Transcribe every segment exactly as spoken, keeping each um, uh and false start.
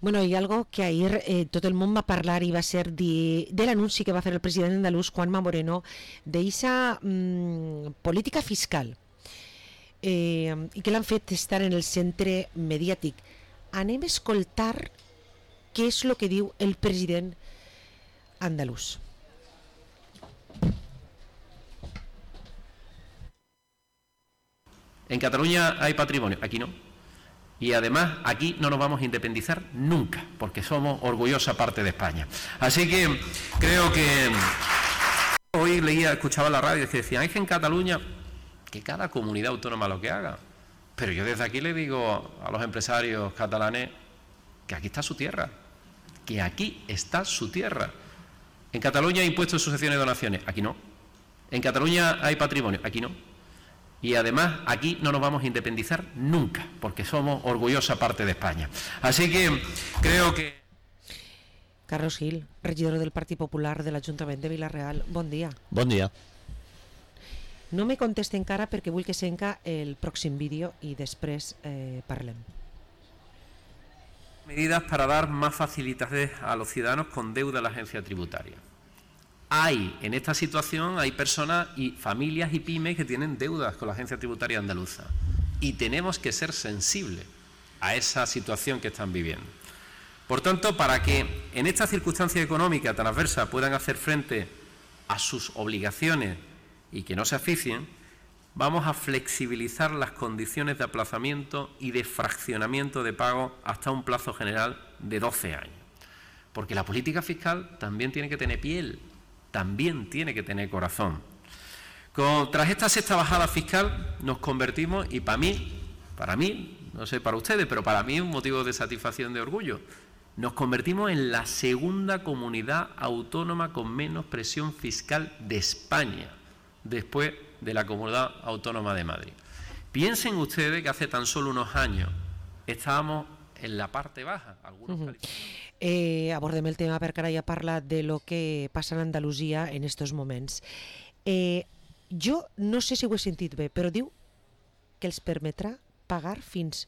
Bueno, hi ha algo que ahir eh, tot el món va parlar i va ser de, de l'anunci que va fer el president andalús Juanma Moreno d'eixa mm, política fiscal eh, i que l'han fet estar en el centre mediàtic. Anem a escoltar què és el que diu el president andalús. En Cataluña hay patrimonio, aquí no. Y además aquí no nos vamos a independizar nunca, porque somos orgullosa parte de España. Así que creo que hoy leía, escuchaba la radio que decían, es que en Cataluña, que cada comunidad autónoma lo que haga. Pero yo desde aquí le digo a los empresarios catalanes que aquí está su tierra, que aquí está su tierra. En Cataluña hay impuestos, sucesiones y donaciones, aquí no. En Cataluña hay patrimonio, aquí no. Y además aquí no nos vamos a independizar nunca, porque somos orgullosa parte de España. Así que creo que... Carlos Gil, regidor del Partit Popular de l'Ajuntament de Vila-real, bon dia. Bon dia. No me conteste encara perquè vull que senca el pròxim vídeo i després eh, parlem. Medidas para dar más facilidades a los ciudadanos con deuda a la agencia tributaria. Hay, en esta situación, hay personas y familias y pymes que tienen deudas con la agencia tributaria andaluza y tenemos que ser sensibles a esa situación que están viviendo. Por tanto, para que en esta circunstancia económica tan adversa puedan hacer frente a sus obligaciones y que no se asfixien, vamos a flexibilizar las condiciones de aplazamiento y de fraccionamiento de pago hasta un plazo general de doce años. Porque la política fiscal también tiene que tener piel, también tiene que tener corazón. Con, tras esta sexta bajada fiscal nos convertimos, y para mí, para mí, no sé para ustedes, pero para mí es un motivo de satisfacción, de orgullo, nos convertimos en la segunda comunidad autónoma con menos presión fiscal de España, después de la Comunidad Autónoma de Madrid. Piensen ustedes que hace tan solo unos años estábamos en la parte baja. Algunos uh-huh. eh, abordem el tema perquè ara ja parla de lo que passa en Andalusia en estos moments. Eh, jo no sé si ho he sentit bé, però diu que els permetrà pagar fins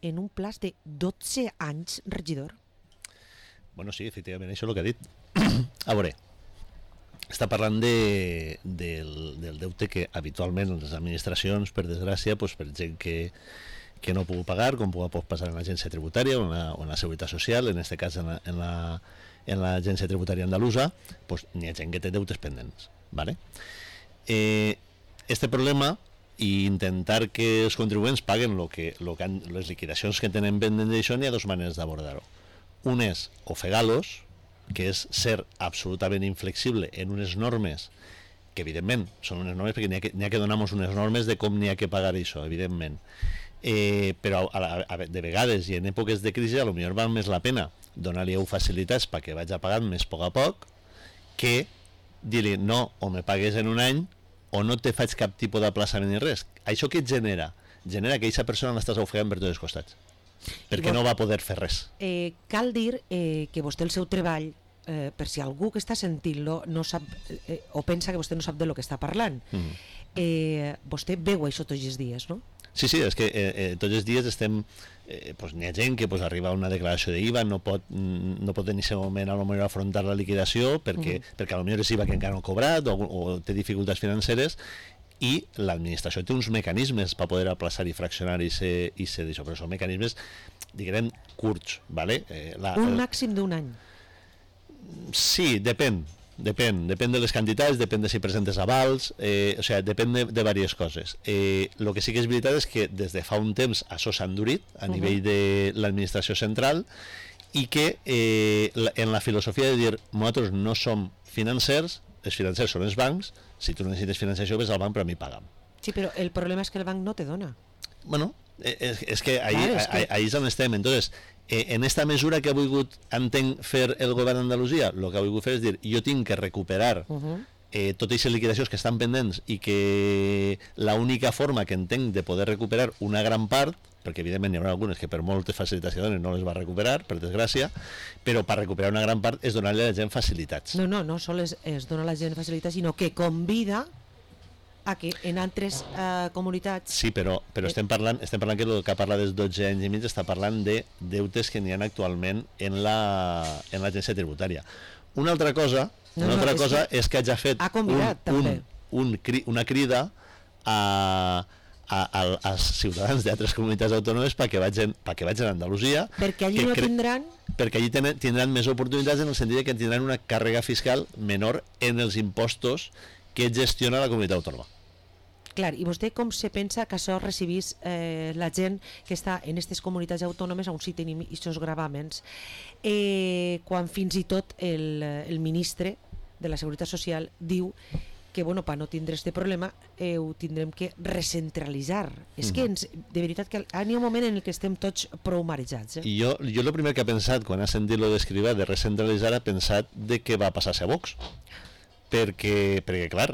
en un plaç de dotze anys, regidor. Bueno, sí, efectivament, això és el que ha dit. A veure, està parlant de, del, del deute que habitualment les administracions, per desgràcia, pues, per gent que que no puc pagar, com pot passar en l'agència tributària o en la, o en la Seguretat Social, en aquest cas en la, en la, en l'agència tributària andalusa, pues, n'hi ha gent que té deutes pendents. ¿Vale? Eh, este problema i intentar que els contribuents paguen lo que, lo que han, les liquidacions que tenen pendents d'això, n'hi ha dues maneres d'abordar-ho. Un és ofegar-los, que és ser absolutament inflexible en unes normes que evidentment són unes normes perquè n'hi ha que, n'hi ha que donar-nos unes normes de com n'hi ha que pagar això, evidentment. Eh, però a la, a, de vegades i en èpoques de crisi a lo millor val més la pena donar-li facilitats perquè vaig pagant més a poc a poc que dir-li no, o me pagues en un any o no te faig cap tipus d'aplaçament ni res. Això què et genera? Genera que aquesta persona l'estàs ofegant per tots els costats perquè vos, no va poder fer res. Eh, cal dir eh, que vostè el seu treball, eh, per si algú que està sentint-lo no sap eh, o pensa que vostè no sap de lo que està parlant, mm. eh, vostè veu això tots els dies, no? Sí, sí, és que eh, eh, tots els dies estem, eh, pues, n'hi ha gent que pues, arriba a una declaració d'I V A, no pot, no pot en aquest moment a lo millor afrontar la liquidació perquè, uh-huh. perquè a lo millor és I V A que encara no ha cobrat o, o té dificultats financeres i l'administració té uns mecanismes per poder aplaçar i fraccionar i ser, i ser d'això, però són mecanismes, diguem, curts, ¿vale? Eh, la, un el... màxim d'un any? Sí, depèn. Depèn, depèn de les quantitats, depèn de si presentes avals, eh, o sigui, depèn de, de diverses coses. El eh, que sí que és veritat és que des de fa un temps això s'ha endurit a uh-huh. nivell de l'administració central i que eh, la, en la filosofia de dir nosaltres no som financers, els financers són els bancs, si tu necessites financiació ves al banc però a mi paga'm. Sí, però el problema és que el banc no te dona. Bueno, és, és que ahí, claro, és que... ahí és on estem. Entonces, Eh, en esta mesura que ha volgut, entenc, fer el govern d'Andalusia, el que ha volgut fer és dir, jo tinc que recuperar uh-huh. eh, totes aquestes liquidacions que estan pendents i que l'única forma que entenc de poder recuperar una gran part, perquè evidentment hi haurà algunes que per moltes facilitats que donen no les va recuperar, per desgràcia, però per recuperar una gran part és donar-li a la gent facilitats. No, no, no sols es, es dona a la gent facilitats, sinó que convida a que en altres uh, comunitats... Sí, però, però estem parlant, estem parlant que el que parla dels dotze anys i mig està parlant de deutes que n'hi ha actualment en la en l'agència tributària. Una altra cosa, no, una no, altra és cosa que és que hagi fet ha convidat, un, un, també. un, un, una crida a, a, a, als ciutadans d'altres comunitats autònomes perquè vagin, perquè vagin a Andalusia. Perquè allí no tindran... Perquè allí tenen, tindran més oportunitats en el sentit que tindran una càrrega fiscal menor en els impostos que gestiona la comunitat autònoma. Clar, i vostè com se pensa que això recibís eh, la gent que està en aquestes comunitats autònomes on sí tenim aquests gravàmens, eh, quan fins i tot el, el ministre de la Seguretat Social diu que bueno, per no tindre aquest problema eh, ho tindrem que recentralitzar. Mm. És que ens, de veritat que hi ha un moment en el que estem tots prou marejats. Eh? I jo, jo el primer que he pensat quan ha sentit lo d'escriure de recentralitzar ha pensat de què va passar-se a Vox. Perquè, perquè clar,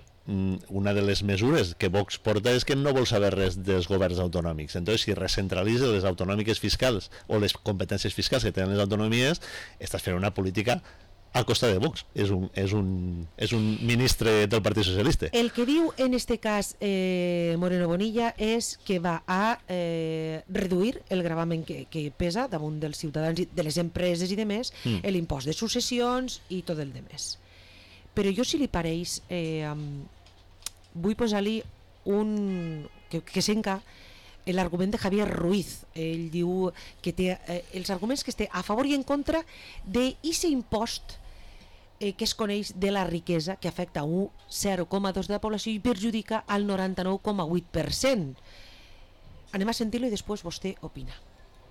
una de les mesures que Vox porta és que no vol saber res dels governs autonòmics. Entonces, si recentralitza les autonòmiques fiscals o les competències fiscals que tenen les autonomies, estàs fent una política a costa de Vox. És un, és un, és un ministre del Partit Socialista. El que diu en este cas eh, Moreno Bonilla és que va a eh, reduir el gravamen que, que pesa damunt dels ciutadans, de les empreses i demés, mm. l'impost de successions i tot el demés. Però jo, si li pareix, eh, um, vull posar-li un... que, que senca l'argument de Javier Ruiz. Ell diu que té eh, els arguments que té a favor i en contra d'aquest impost eh, que es coneix de la riquesa, que afecta un zero coma dos de la població i perjudica al noranta-nou coma vuit per cent. Anem a sentir-lo i després vostè opina.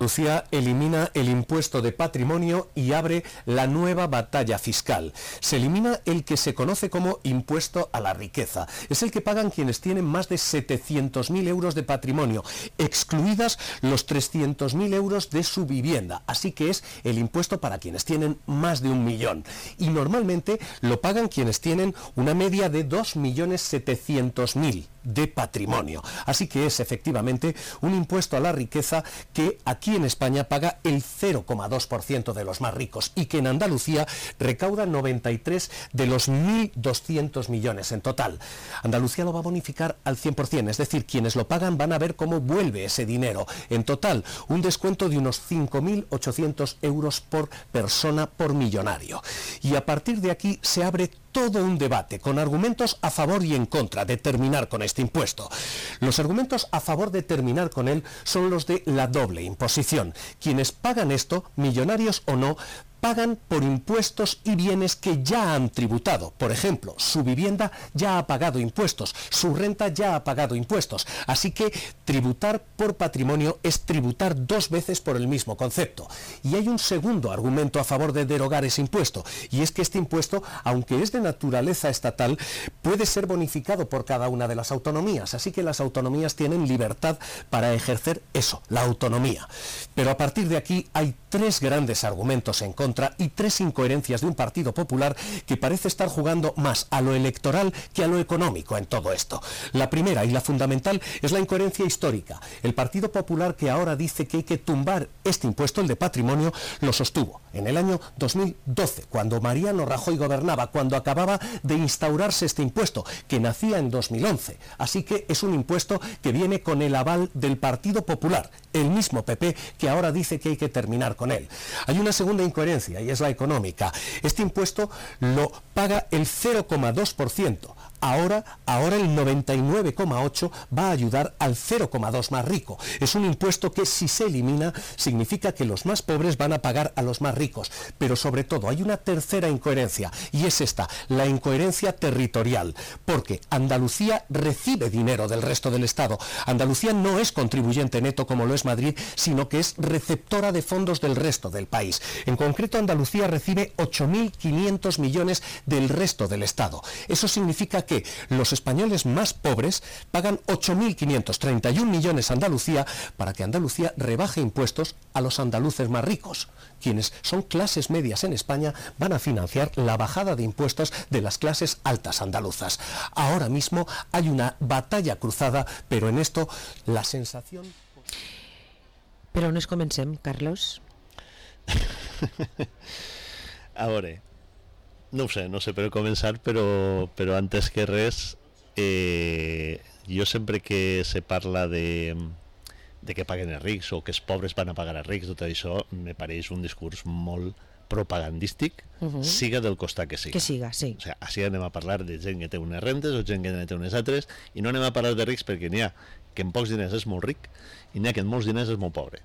Andalucía elimina el impuesto de patrimonio y abre la nueva batalla fiscal. Se elimina el que se conoce como impuesto a la riqueza. Es el que pagan quienes tienen más de setecientos mil euros de patrimonio, excluidas los trescientos mil euros de su vivienda. Así que es el impuesto para quienes tienen más de un millón. Y normalmente lo pagan quienes tienen una media de dos millones setecientos mil de patrimonio. Así que es efectivamente un impuesto a la riqueza que aquí en España paga el cero coma dos por ciento de los más ricos y que en Andalucía recauda noventa y tres de los mil doscientos millones en total. Andalucía lo va a bonificar al cien por ciento, es decir, quienes lo pagan van a ver cómo vuelve ese dinero. En total, un descuento de unos cinco mil ochocientos euros por persona por millonario. Y a partir de aquí se abre todo un debate con argumentos a favor y en contra de terminar con este impuesto. Los argumentos a favor de terminar con él son los de la doble imposición. Quienes pagan esto, millonarios o no, pagan por impuestos y bienes que ya han tributado. Por ejemplo, su vivienda ya ha pagado impuestos, su renta ya ha pagado impuestos. Así que tributar por patrimonio es tributar dos veces por el mismo concepto. Y hay un segundo argumento a favor de derogar ese impuesto, y es que este impuesto, aunque es de naturaleza estatal, puede ser bonificado por cada una de las autonomías. Así que las autonomías tienen libertad para ejercer eso, la autonomía. Pero a partir de aquí hay tres grandes argumentos en contra y tres incoherencias de un Partido Popular que parece estar jugando más a lo electoral que a lo económico en todo esto. La primera y la fundamental es la incoherencia histórica. El Partido Popular, que ahora dice que hay que tumbar este impuesto, el de patrimonio, lo sostuvo en el año dos mil doce, cuando Mariano Rajoy gobernaba, cuando acababa de instaurarse este impuesto, que nacía en dos mil once. Así que es un impuesto que viene con el aval del Partido Popular, el mismo P P que ahora dice que hay que terminar con él. Hay una segunda incoherencia y es la económica. Este impuesto lo paga el cero coma dos por ciento. Ahora, ahora el noventa y nueve coma ocho por ciento va a ayudar al cero coma dos por ciento más rico. Es un impuesto que, si se elimina, significa que los más pobres van a pagar a los más ricos. Pero sobre todo hay una tercera incoherencia, y es esta, la incoherencia territorial. Porque Andalucía recibe dinero del resto del Estado. Andalucía no es contribuyente neto como lo es Madrid, sino que es receptora de fondos del resto del país. En concreto, Andalucía recibe ocho mil quinientos millones del resto del Estado. Eso significa que que los españoles más pobres pagan ocho mil quinientos treinta y uno millones a Andalucía para que Andalucía rebaje impuestos a los andaluces más ricos. Quienes son clases medias en España van a financiar la bajada de impuestos de las clases altas andaluzas. Ahora mismo hay una batalla cruzada, pero en esto la sensación... Però on es comencem, Carlos? A veure... No ho sé, no sé per començar, però, però antes que res, eh, jo sempre que se parla de, de que paguen els rics o que els pobres van a pagar els rics, tot això me pareix un discurs molt propagandístic, uh-huh. siga del costat que siga. Que siga, sí. O sigui, així anem a parlar de gent que té unes rentes o gent que té unes altres, i no anem a parlar de rics perquè n'hi ha que en pocs diners és molt ric i n'hi ha que en molts diners és molt pobre.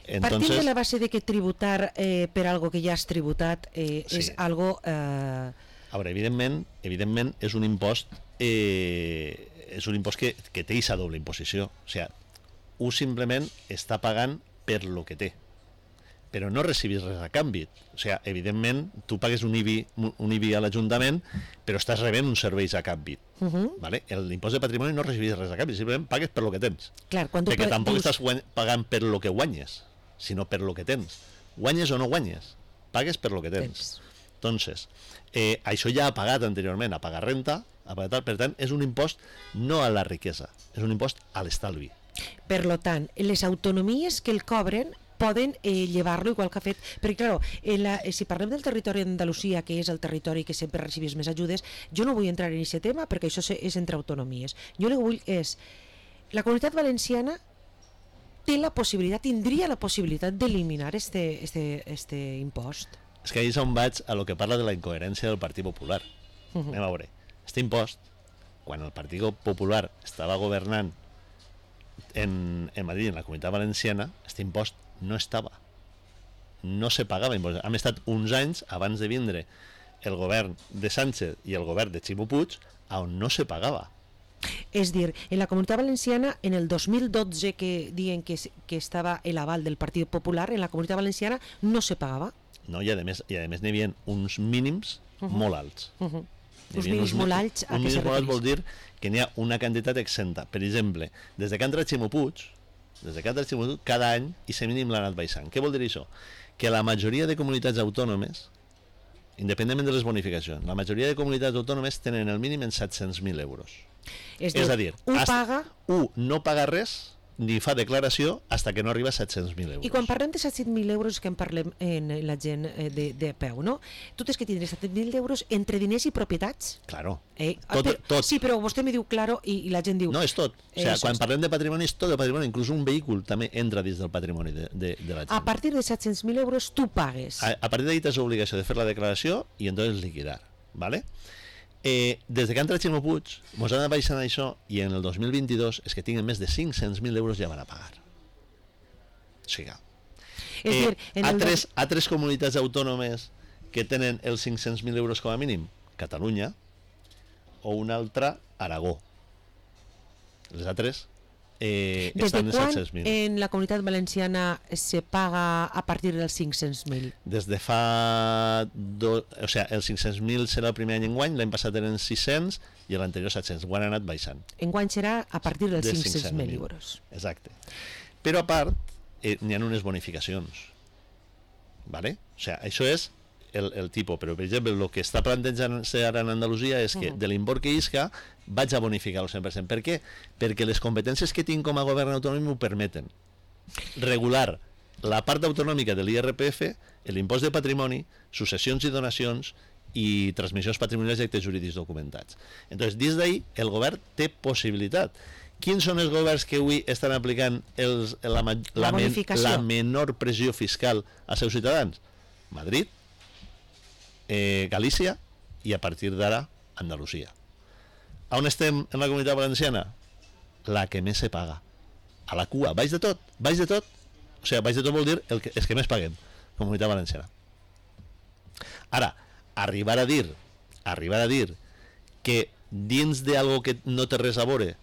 Entonces, partint de la base de que tributar eh, per algo que ja has tributat eh, sí. és algo... Eh... A veure, evidentment, evidentment és un impost eh, és un impost que, que té aquesta doble imposició. O sigui, un simplement està pagant per lo que té, però no recibis res a canvi. O sigui, evidentment, tu pagues un I B I, un I B I a l'Ajuntament, però estàs rebent uns serveis a canvi. Uh-huh. ¿Vale? L'impost de patrimoni no recibis res a canvi, simplement pagues per lo que tens. Clar, quan tu perquè pa- tampoc dius... estàs guany- pagant per lo que guanyes, sinó per lo que tens. Guanyes o no guanyes, pagues per lo que tens. tens. Entonces, eh, això ja ha pagat anteriorment, ha pagat renta, ha pagat tal, per tant, és un impost no a la riquesa, és un impost a l'estalvi. Per lo tant, les autonomies que el cobren poden eh, llevar-lo igual que ha fet, perquè clar, en la, si parlem del territori d'Andalusia, que és el territori que sempre recibís més ajudes, jo no vull entrar en aquest tema perquè això és entre autonomies. Jo el que vull és, la Comunitat Valenciana té la possibilitat, tindria la possibilitat d'eliminar este, este, este impost. És que ahir és on vaig a lo que parla de la incoherència del Partit Popular. Uh-huh. Anem a veure, este impost, quan el Partit Popular estava governant en, en Madrid, en la Comunitat Valenciana, este impost no estava, no se pagava impost. Hem estat uns anys abans de vindre el govern de Sánchez i el govern de Ximo Puig on no se pagava. És dir, en la Comunitat Valenciana, en el dos mil dotze que diuen que, que estava l'aval del Partit Popular, en la Comunitat Valenciana no se pagava. No, i a més i a més n'hi havia uns mínims uh-huh. molt alts. Uh-huh. Uns mínims molt alts a què se refereix? Un mínims molt alt vol dir que n'hi ha una quantitat exenta. Per exemple, des de que entra Ximo Puig, des de que entra Ximo Puig, cada any i se mínim l'ha anat baixant. Què vol dir això? Que la majoria de comunitats autònomes, independentment de les bonificacions, la majoria de comunitats autònomes tenen el mínim en set-cents mil euros. És, és a dir, un paga... un no paga res ni fa declaració hasta que no arriba a set-cents mil euros. I quan parlem de set-cents mil euros que en parlem en la gent de, de peu, no? Tu tens que tindre set-cents mil euros entre diners i propietats? Claro. Eh, tot, però, tot. Sí, però vostè me diu claro i, i la gent diu... No, és tot. O sigui, quan parlem de patrimoni és tot el patrimoni, inclús un vehicle també entra dins del patrimoni de, de, de la gent. A partir de set-cents mil euros tu pagues. A, a partir d'ahí tens l'obligació de fer la declaració i entonces liquidar, ¿vale? Eh, des de que entra Ximo Puig mos han baixant això i en el dos mil vint-i-dos és que tinguin més de cinc-cents mil euros ja van a pagar. O sigui, és eh, dir, en a, el tres, a tres comunitats autònomes que tenen els cinc-cents mil euros com a mínim, Catalunya, o una altra, Aragó. Les altres eh, des estan de en quan set-cents mil. en la Comunitat Valenciana se paga a partir dels cinc-cents mil? Des de fa... Do... O sigui, els cinc-cents mil serà el primer any enguany, l'any passat eren sis-cents i l'anterior set-cents. Ho han anat baixant. Enguany serà a partir dels De cinc-cents mil euros. Exacte. Però a part, eh, n'hi ha unes bonificacions. ¿Vale? O sigui, això és el, el tipus, però per exemple el que està plantejant-se ara en Andalusia és que uh-huh. de l'import que isca vaig a bonificar el cent per cent. Per què? Perquè les competències que tinc com a govern autonòmic m'ho permeten. Regular la part autonòmica de l'I R P F, l'impost de patrimoni, successions i donacions i transmissions patrimonials i actes jurídics documentats. Entonces, des d'ahí, el govern té possibilitat. Quins són els governs que avui estan aplicant els, la, la, la, men, la menor pressió fiscal als seus ciutadans? Madrid, eh, Galícia i a partir d'ara Andalusia. On estem en la Comunitat Valenciana? La que més se paga. A la cua, baix de tot, baix de tot. O sigui, baix de tot vol dir el que, els que més paguem, Comunitat Valenciana. Ara, arribar a dir, arribar a dir que dins d'algo que no té res a veure,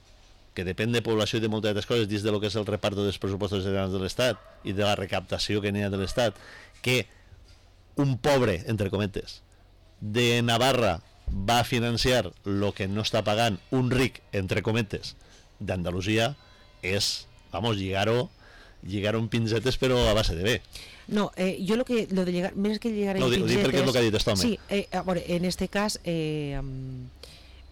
que depèn de població i de moltes altres coses, dins de lo que és el reparto dels pressupostos generals de l'Estat i de la recaptació que n'hi ha de l'Estat, que un pobre, entre cometes, de Navarra va a financiar lo que no està pagant un ric, entre cometes, d'Andalusia, és, vamos, lligar-ho lligar-ho en pinzetes però a base de bé. No, eh, yo lo que lo de llegar, menos que llegar en no, pinzetes... No, perquè és el que ha dit este home. Sí, eh, bueno, en este cas eh, um,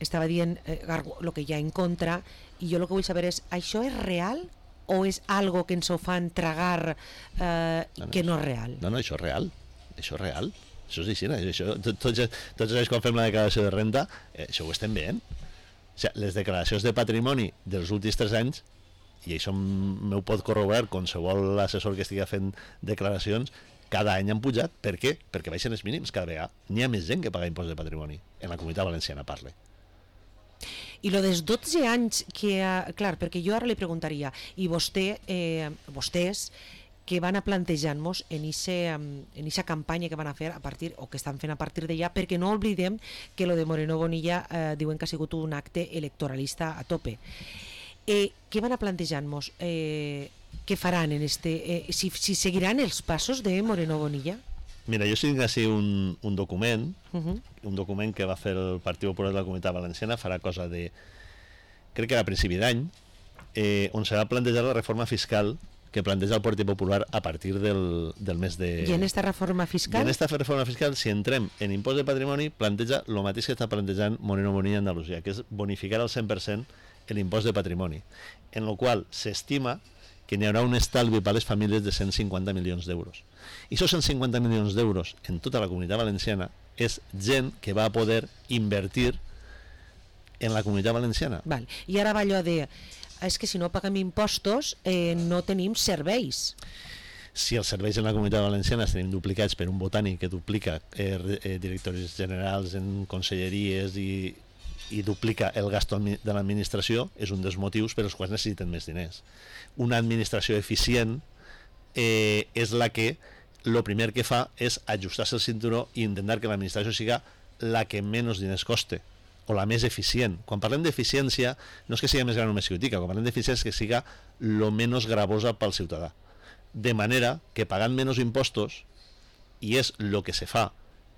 estava dient eh, lo que hi ha en contra i jo el que vull saber és, això és real o és algo que ens ho fan tragar eh, no, no, que no és real? No, no, això és real. Això és real. Això és així, això, tots, tots els anys quan fem la declaració de renta, eh, això ho estem veient. O sigui, les declaracions de patrimoni dels últims tres anys, i això m'ho pot corroborar qualsevol assessor que estigui fent declaracions, cada any han pujat. Per què? Perquè baixen els mínims cada vegada. N'hi ha més gent que paga impost de patrimoni. En la Comunitat Valenciana parle. I lo dels dotze anys que... Clar, perquè jo ara li preguntaria, i vostè, eh, vostès, que van a plantejar-nos en aquesta campanya que van a fer a partir, o que estan fent a partir d'allà, perquè no oblidem que lo de Moreno Bonilla eh, diuen que ha sigut un acte electoralista a tope. Eh, què van a plantejar-nos? Eh, què faran en este... Eh, si, si seguiran els passos de Moreno Bonilla? Mira, jo tinc així un, un document, Uh -huh. un document que va fer el Partit Popular de la Comunitat Valenciana, farà cosa de... crec que era a principi d'any, eh, on se va plantejar la reforma fiscal que planteja el Partit Popular a partir del, del mes de... I en esta reforma fiscal? I en esta reforma fiscal, si entrem en impost de patrimoni, planteja el mateix que està plantejant Moreno Bonilla a Andalusia, que és bonificar al cent per cent l'impost de patrimoni, en el qual s'estima que n'hi haurà un estalvi per a les famílies de cent cinquanta milions d'euros. I aquests cent cinquanta milions d'euros en tota la Comunitat Valenciana és gent que va a poder invertir en la Comunitat Valenciana. Val. I ara va allò de... és que si no paguem impostos eh, no tenim serveis. Si els serveis en la Comunitat Valenciana els tenim duplicats per un botànic que duplica eh, eh, directoris generals en conselleries i, i duplica el gasto de l'administració, és un dels motius per als quals necessiten més diners. Una administració eficient eh, és la que el primer que fa és ajustar-se el cinturó i intentar que l'administració siga la que menys diners coste, o la més eficient. Quan parlem d'eficiència, no és que sigui més gran o més xicotica, quan parlem d'eficiència és que siga lo menys gravosa pel ciutadà. De manera que pagant menys impostos, i és el que se fa,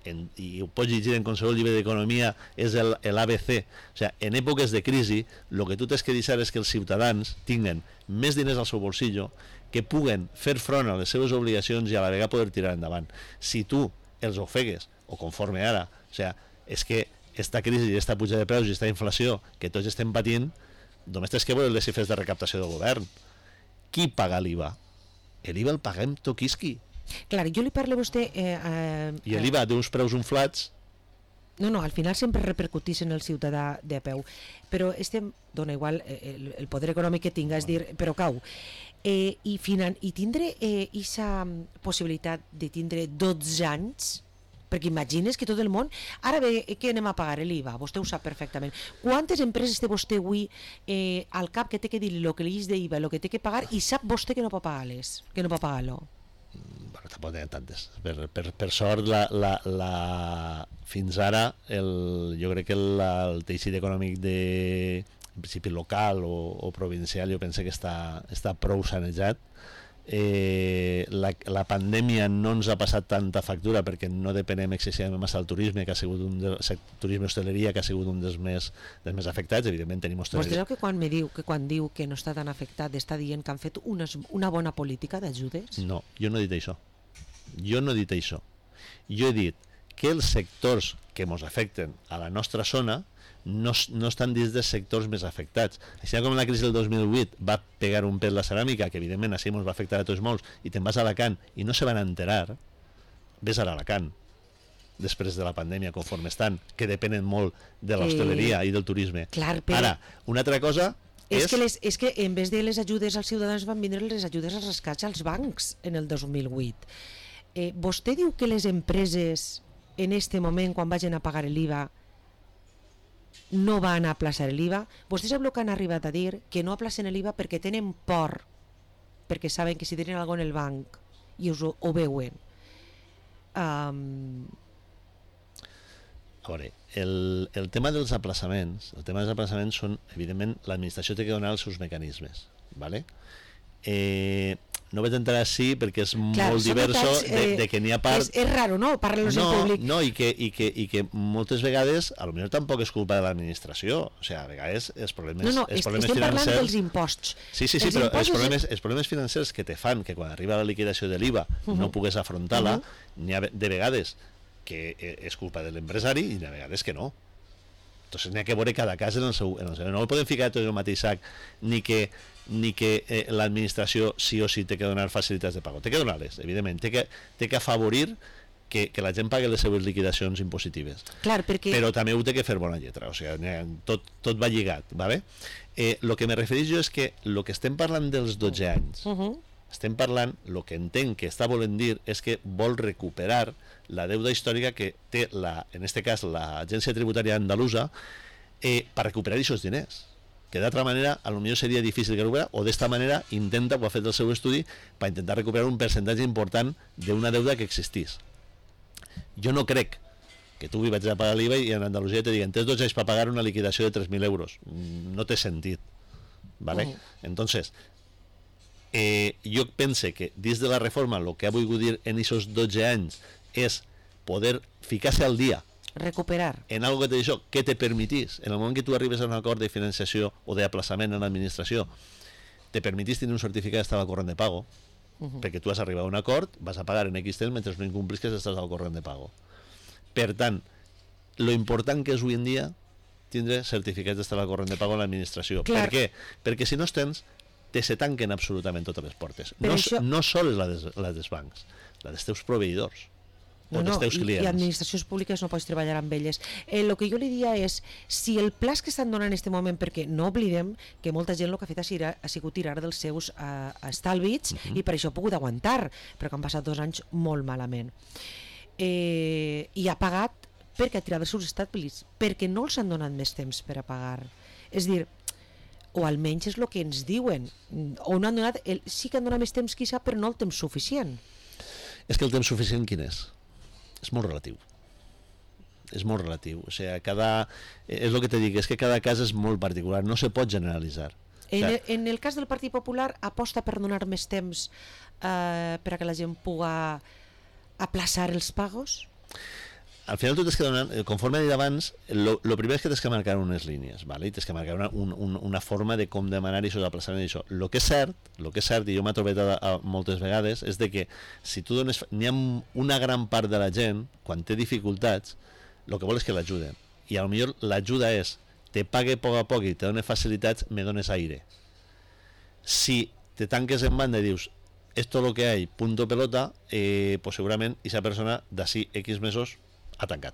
en, i ho pots llegir en qualsevol llibre d'economia, és l'A B C, o sigui, en èpoques de crisi, el que tu tens que deixar és que els ciutadans tinguen més diners al seu bolsillo, que puguen fer front a les seves obligacions i a la vegada poder tirar endavant. Si tu els ofegues, o conforme ara, o sigui, és que esta crisi i esta puja de preus i esta inflació que tots estem patint, només tens que veure les xifres de recaptació del govern. Qui paga l'I V A? L'I V A el paguem toquisqui. Clar, jo li parlo a vostè... Eh, eh, I l'I V A d'uns preus inflats... No, no, al final sempre repercutís en el ciutadà de a peu. Però estem... Dona igual el, el poder econòmic que tinga, és dir, però cau. Eh, i, finan, I tindre aquesta eh, possibilitat de tindre dotze anys... perquè imagines que tot el món... Ara bé, que anem a pagar l'I V A, vostè ho sap perfectament. Quantes empreses té vostè avui eh, al cap que té que dir el que li és d'I V A, el que té que pagar, i sap vostè que no pot pagar-les, que no pot pagar-lo? Bueno, tampoc n'hi ha tantes. Per, per, per sort, la, la, la... fins ara, el, jo crec que el, el teixit econòmic de, en principi local o, o provincial, jo penso que està, està prou sanejat. Eh, la, la pandèmia no ens ha passat tanta factura perquè no depenem excessivament massa del turisme, que ha sigut un de, turisme i hostaleria, que ha sigut un dels més, dels més afectats. Evidentment tenim hostaleria. Vostè sap que quan me diu que quan diu que no està tan afectat està dient que han fet una, una bona política d'ajudes? No, jo no he dit això. Jo no he dit això. Jo he dit que els sectors que ens afecten a la nostra zona no, no estan dins dels sectors més afectats. Així com la crisi del dos mil vuit va pegar un pet la ceràmica, que evidentment així ens va afectar a tots molts, i te'n vas a Alacant i no se van enterar, ves a Alacant després de la pandèmia, conforme estan, que depenen molt de l'hostaleria eh, i del turisme. Clar, però... Ara, una altra cosa és... És... Que les, és que en vez de les ajudes als ciutadans van vindre les ajudes als rescats als bancs en el dos mil vuit. Eh, vostè diu que les empreses en este moment, quan vagin a pagar l'I V A, no van a aplaçar l'I V A. Vostès el que han arribat a dir que no aplacen l'I V A perquè tenen por, perquè saben que si tenen alguna en el banc i us ho, ho veuen. Um... A veure, el, el tema dels aplaçaments, el tema dels aplaçaments són, evidentment, l'administració té que donar els seus mecanismes, ¿vale? Eh, no vaig entrar així perquè és Clar, molt diverso detalls, de, eh, de que n'hi ha part... És, és raro, no?, parlar-los no, en públic. No, i que, i, que, i que moltes vegades, a lo millor tampoc és culpa de l'administració, o sigui, a vegades els problemes, No, no, els est problemes estem parlant financers... dels imposts. Sí, sí, sí, els però els impostos problemes, és... els problemes financers que te fan que quan arriba la liquidació de l'I V A uh -huh. no pugues afrontar-la, uh -huh. n'hi ha de vegades que és culpa de l'empresari i n'hi ha vegades que no. Entonces n'hi ha que veure cada cas en el seu... En el seu. No el podem ficar tot en el mateix sac, ni que, ni que eh, l'administració sí o sí té que donar facilitats de pago. Té que donar-les, evidentment. Té que, té que afavorir que, que la gent pagui les seves liquidacions impositives. Clar, perquè... Però també ho té que fer bona lletra, o sigui, tot, tot va lligat, ¿vale? Eh, lo que me refereix jo és que el que estem parlant dels dotze anys, uh -huh. estem parlant, el que entenc que està volent dir és que vol recuperar la deuda històrica que té, la, en este cas, l'Agència Tributària Andalusa, eh, per recuperar aquests diners, que d'altra manera a lo millor seria difícil que recuperar, o d'esta manera intenta, o ha fet el seu estudi, per intentar recuperar un percentatge important d'una deuda que existís. Jo no crec que tu vaig a pagar l'I V A i en Andalusia te diguen tens dotze anys per pagar una liquidació de tres mil euros. No té sentit, ¿vale? Uh-huh. Entonces, eh, jo pense que dins de la reforma el que ha volgut dir en aquests dotze anys és poder ficar-se al dia recuperar en algo que te diu que te permitís, en el moment que tu arribes a un acord de financiació o d'aplaçament en l'administració, te permitís tenir un certificat d'estat al corrent de pago, uh-huh. perquè tu has arribat a un acord, vas a pagar en X temps mentre no incomplis que estàs al corrent de pago. Per tant, lo important que és avui en dia tindre certificats d'estar al corrent de pago en l'administració. Clar. Per què? Perquè si no els tens, te se tanquen absolutament totes les portes. No, això... no sols la des, la dels bancs, la dels teus proveïdors. No, no, i, i administracions públiques no pots treballar amb elles. El eh, que jo li dia és, si el pla que estan donant en aquest moment, perquè no oblidem que molta gent el que ha fet ha, sigut, ha sigut tirar dels seus uh, estalvis, uh-huh. i per això ha pogut aguantar, però que han passat dos anys molt malament. Eh, I ha pagat perquè ha tirat els seus estalvis, perquè no els han donat més temps per a pagar. És dir, o almenys és el que ens diuen, o no han donat, el, sí que han donat més temps quizà, però no el temps suficient. És que el temps suficient quin és? És molt relatiu. És molt relatiu. O sigui, cada... És el que te dic, és que cada cas és molt particular, no se pot generalitzar. En, o sea, el, en el cas del Partit Popular, aposta per donar més temps eh, per a que la gent pugui aplaçar els pagos? Al final tu tens que donar, conforme he dit abans, lo, lo primer és que tens que marcar unes línies, ¿vale? I tens que marcar una, un, un, una forma de com demanar això, d'aplaçament d'això. Lo que és cert, lo que és cert, i jo m'he trobat a, a moltes vegades, és de que si tu dones... N'hi ha una gran part de la gent, quan té dificultats, el que vol és que l'ajuden. I a lo millor l'ajuda és, te pague a poc a poc i te dones facilitats, me dones aire. Si te tanques en banda i dius, esto lo que hay, punto pelota, eh, pues segurament esa persona d'ací X mesos ha tancat.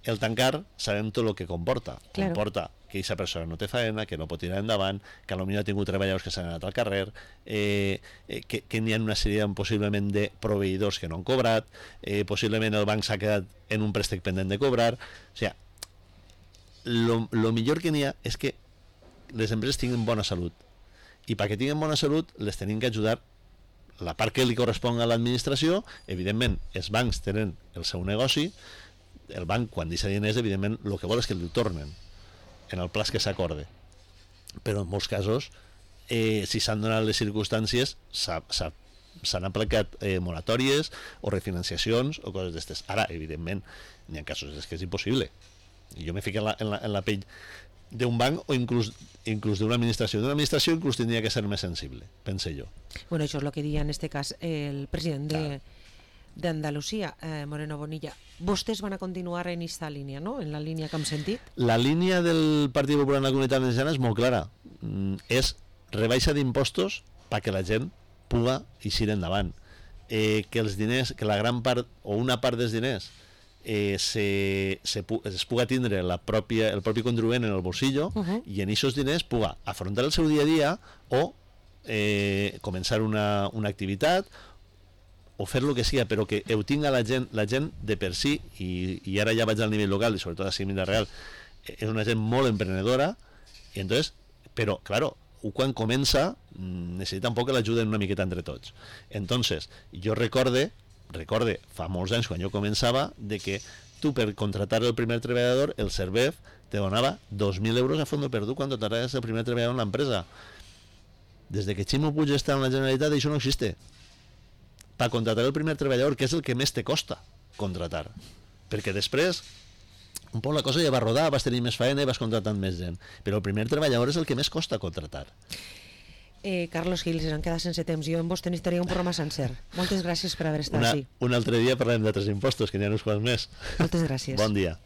El tancar sabem tot el que comporta. Claro. Comporta que aquesta persona no té feina, que no pot tirar endavant, que potser ha tingut treballadors que s'han anat al carrer, eh, eh, que, que n'hi ha una sèrie possiblement de proveïdors que no han cobrat, eh, possiblement el banc s'ha quedat en un préstec pendent de cobrar. O sigui, lo, lo millor que n'hi ha és que les empreses tinguin bona salut. I perquè tinguin bona salut les tenim que ajudar la part que li correspon a l'administració. Evidentment, els bancs tenen el seu negoci, el banc, quan deixa diners, evidentment, el que vol és que li tornen en el plaç que s'acorde. Però en molts casos, eh, si s'han donat les circumstàncies, s'han aplicat eh, moratòries o refinanciacions o coses d'estes. Ara, evidentment, n'hi ha casos és que és impossible. I jo me fico en la, en la, en la pell d'un banc o inclús, inclús d'una administració. D'una administració inclús tindria que ser més sensible, pense jo. Bueno, això és el que diria en este cas el president de, d'Andalusia, eh, Moreno Bonilla. Vostès van a continuar en aquesta línia, no? En la línia que hem sentit? La línia del Partit Popular en la Comunitat Valenciana és molt clara. Mm, és rebaixa d'impostos perquè la gent puga eixir endavant. Eh, que els diners, que la gran part o una part dels diners Eh, se, se, es puga tindre la pròpia, el propi contribuent en el bolsillo, uh-huh. i en aquests diners puga afrontar el seu dia a dia o eh, començar una, una activitat o fer el que sigui, però que ho tinga la gent, la gent de per si, i, i ara ja vaig al nivell local i sobretot a Ciutat Real, és una gent molt emprenedora, i entonces, però, claro, quan comença necessita un poc que l'ajuden una miqueta entre tots. Entonces, jo recorde recorde, fa molts anys quan jo començava, de que tu per contratar el primer treballador, el Servef te donava dos mil euros a fondo perdut quan contrataves el primer treballador en l'empresa. Des de que Ximo Puig està en la Generalitat, això no existe. Per contratar el primer treballador, que és el que més te costa contratar. Perquè després, un poc la cosa ja va rodar, vas tenir més feina i vas contratant més gent. Però el primer treballador és el que més costa contratar. Eh, Carlos Gil, se'ns queda sense temps. Jo amb vostè necessitaria un programa sencer. Moltes gràcies per haver estat una, així. Un altre dia parlem d'altres impostos, que n'hi ha uns quants més. Moltes gràcies. Bon dia.